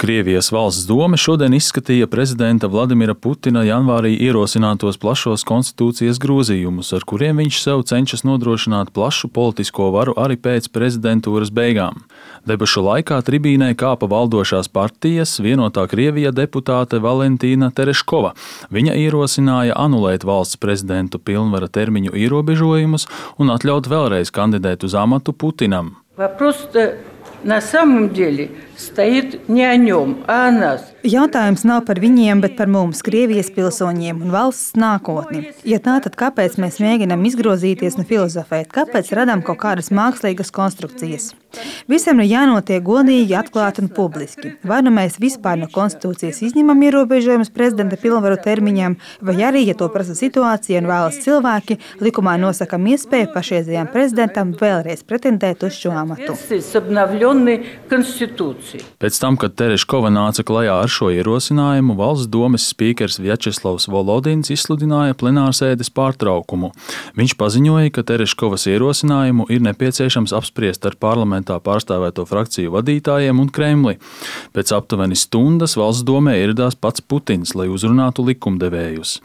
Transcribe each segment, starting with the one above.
Krievijas valsts dome šodien izskatīja prezidenta Vladimira Putina janvārī ierosinātos plašos konstitūcijas grozījumus, ar kuriem viņš sev cenšas nodrošināt plašu politisko varu arī pēc prezidentūras beigām. Debašu laikā tribīnē kāpa valdošās partijas Vienotā Krievija deputāte Valentīna Tereškova. Viņa ierosināja anulēt valsts prezidentu pilnvara termiņu ierobežojumus un atļaut vēlreiz kandidēt uz amatu Putinam. На самом деле стоит не о нем, а о нас. Jautājums nav par viņiem, bet par mums, Krievijas pilsoņiem un valsts nākotni. Ja tā, tad kāpēc mēs mēģinām izgrozīties un filozofēt? Kāpēc radām kaut kādas mākslīgas konstrukcijas? Visam ir jānotiek godīgi, atklāti un publiski. Vai nu mēs vispār no konstitūcijas izņemam ierobežojumus prezidenta pilnvaru termiņam, vai arī, ja to prasa situācija un vēlas cilvēki, likumā nosakam iespēju pašreizējām prezidentam vēlreiz pretendēt uz šo amatu. Pēc tam, kad Tereškova nāca klajā ar šo ierosinājumu, valsts domes spīkers Vjačeslavs Volodins izsludināja plenārsēdes pārtraukumu. Viņš paziņoja, ka Tereškovas ierosinājumu ir nepieciešams apspriest ar parlamentā pārstāvēto frakciju vadītājiem un Kremli. Pēc aptuveni stundas valsts domē ieradās pats Putins, lai uzrunātu likumdevējus.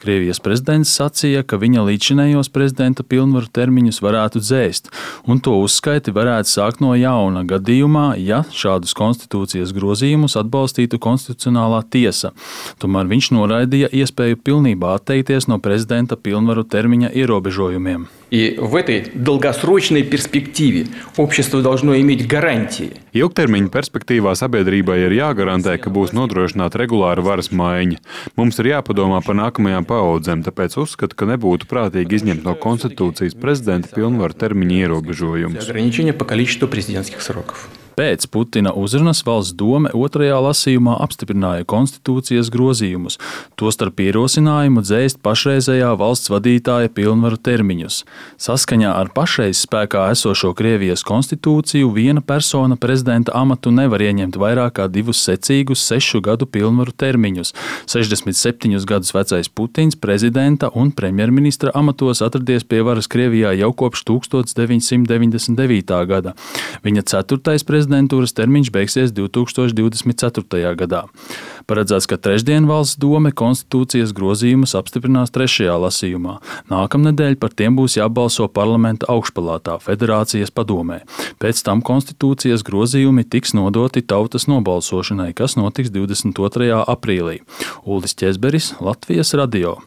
Krievijas prezidents sacīja, ka viņa līdzinējos prezidenta pilnvaru termiņus varētu dzēst, un to uzskaiti varētu sākt no jauna gadījumā, ja šādus konstitūcijas grozījumus atbalstītu konstitucionālā tiesa. Tomēr viņš noraidīja iespēju pilnībā atteikties no prezidenta pilnvaru termiņa ierobežojumiem. И в этой долгосрочной перспективе общество должно иметь гарантии. Ilgtermiņa perspektīvā sabiedrībai ir jāgarantē, ka būs nodrošināta regulāra varas maiņa. Mums ir jāpadomā par nākamajām paaudzēm, tāpēc uzskatu, ka nebūtu prātīgi izņemt no konstitūcijas prezidenta pilnvaru termiņa ierobežojumus. Ограничение по количеству президентских сроков. Pēc Putina uzrunas valsts dome otrajā lasījumā apstiprināja konstitūcijas grozījumus, tostarp ierosinājumu dzēst pašreizējā valsts vadītāja pilnvaru termiņus. Saskaņā ar pašreiz spēkā esošo Krievijas konstitūciju viena persona prezidenta amatu nevar ieņemt vairāk kā 2 secīgus 6 gadu pilnvaru termiņus. 67 gadus vecais Putins prezidenta un premjerministra amatos atradies pie varas Krievijā jau kopš 1999. gada. Viņa 4. prezidentūras termiņš beigsies 2024. gadā. Paredzēts, ka trešdien valsts dome konstitūcijas grozījumus apstiprinās 3. lasījumā. Nākamnedēļ par tiem būs jābalso parlamenta augšpalātā Federācijas padomē. Pēc tam konstitūcijas grozījumi tiks nodoti tautas nobalsošanai, kas notiks 22. aprīlī. Uldis Ķezberis, Latvijas radio.